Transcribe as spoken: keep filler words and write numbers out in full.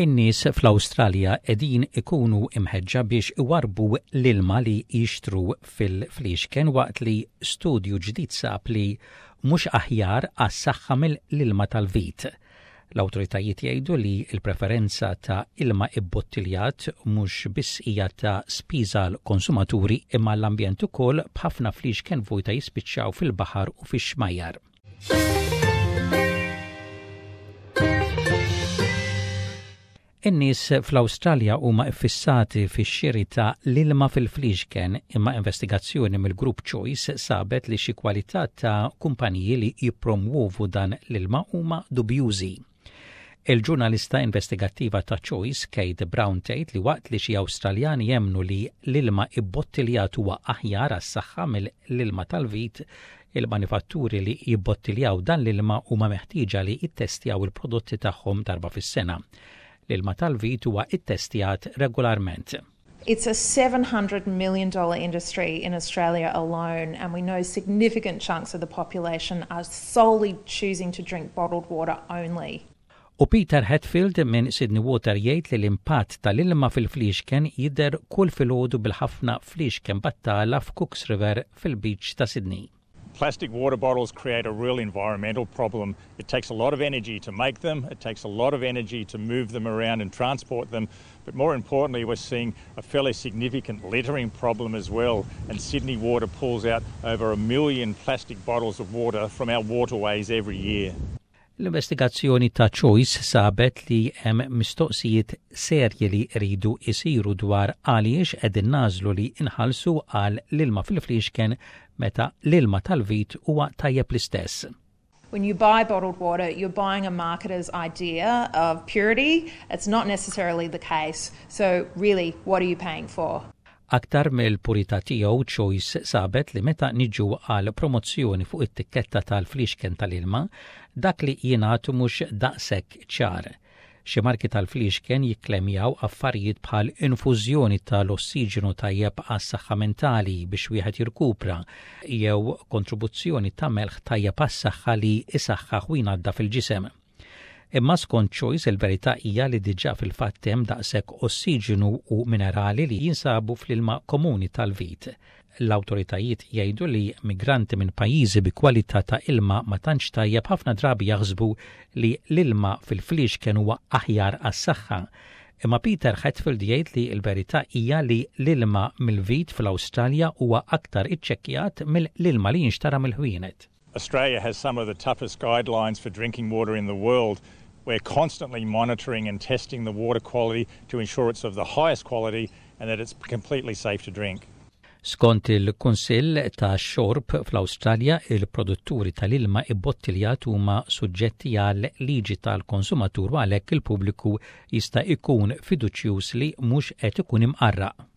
In-nies fl-Awstralja qegħdin ikunu imħeġġa biex iwarbu l-ilma li jixtru fil-fliexken waqt li studju ġdid sab li mhux aħjar għas-saħħa mill-ilma tal-vit. L-awtoritajiet jgħidu li l-preferenza ta' ilma ibbottiljat mhux biss hija ta' spiża l-konsumaturi imma l-ambjent ukoll b'ħafna fliexken vojta jispiċċaw fil-baħar u fix-xmajjar. In-nies fl-Awstralja huma iffissati fix-xiri ta' l-ilma fil-fliexken imma investigazzjoni mill-Grupp Choice sabet li xi kwalità ta' kumpaniji li jippromwovu dan l-ilma huma dubjużi. Il-ġurnalista investigattiva ta' Choice, Kate Brown tgħid li waqt li xi Awstraljani jemmnu li l-ilma ibbottiljat huwa aħjar għas-saħħa mill-ilma tal-vit, il-manifatturi li jibbottiljaw dan l-ilma huma meħtieġa li jittestjaw il-prodotti tagħhom darba fis-sena. L-ilma tal-vit huwa ittestjat regolarment. It's a seven hundred million dollar industry in Australia alone, and we know significant chunks of the population are solely choosing to drink bottled water only. U Peter Hetfield minn Sydney Water jgħid li l-impatt tal-ilma fil-fliexken jidher kull filgħodu bil-ħafna fliexken battala f'Cooks River fil-beach ta' Sydney. Plastic water bottles create a real environmental problem. It takes a lot of energy to make them, it takes a lot of energy to move them around and transport them, but more importantly we're seeing a fairly significant littering problem as well, and Sydney Water pulls out over a million plastic bottles of water from our waterways every year. L-investigazzjoni ta' Choice sabet li hemm mistoqsijiet serji li jridu jsiru dwar għaliex qegħdin nagħżlu li inħallsu għal l-ilma fil-fliexken meta l-ilma tal-vit huwa tajjeb l-istess. When you buy bottled water, you're buying a marketer's idea of purity. It's not necessarily the case. So really, what are you paying for? Aktar mill-purità tiegħu Choice sabet li meta niġu għal promozzjoni fuq it-tikketta tal-fliexken tal-ilma, dak li jingħatu mhux daqshekk ċar. Xi marki tal-fliexken jikklemjaw affarijiet bħal infużjoni tal-ossiġenu tajjeb għas-saħħa mentali biex wieħed jirkupra jew kontribuzzjoni ta' melħ tajjeb għas-saħħa li isaħħaħ u jnaddaf il-ġisem. Imma skont Choice il-verità hija li diġà fil-fatt hemm daqshekk ossiġenu u minerali li jinsabu fl-ilma komuni tal-vit. L-awtoritajiet jgħidu li migranti minn pajjiżi bi kwalità ta' ilma ma tantx tajjeb ħafna drabi jaħsbu li l-ilma fil-fliexken huwa aħjar għas-saħħa. Imma Peter Hetfield jgħid li l-verità hija li l-ilma mill-vit fl-Awstralja huwa aktar iċċekkjat mill-ilma li jinxtara mill-ħwienet. Australia has some of the toughest guidelines for drinking water in the world. We're constantly monitoring and testing the water quality to ensure it's of the highest quality and that it's completely safe to drink. Skont il-Kunsill ta' Xorb fl-Awstralja, il-produtturi tal-ilma ibbottiljat huma suġġetti għal liġi tal-konsumatur u għalhekk il-pubbliku jista' jkun fiduċjuż li mhux qed ikun imqarraq.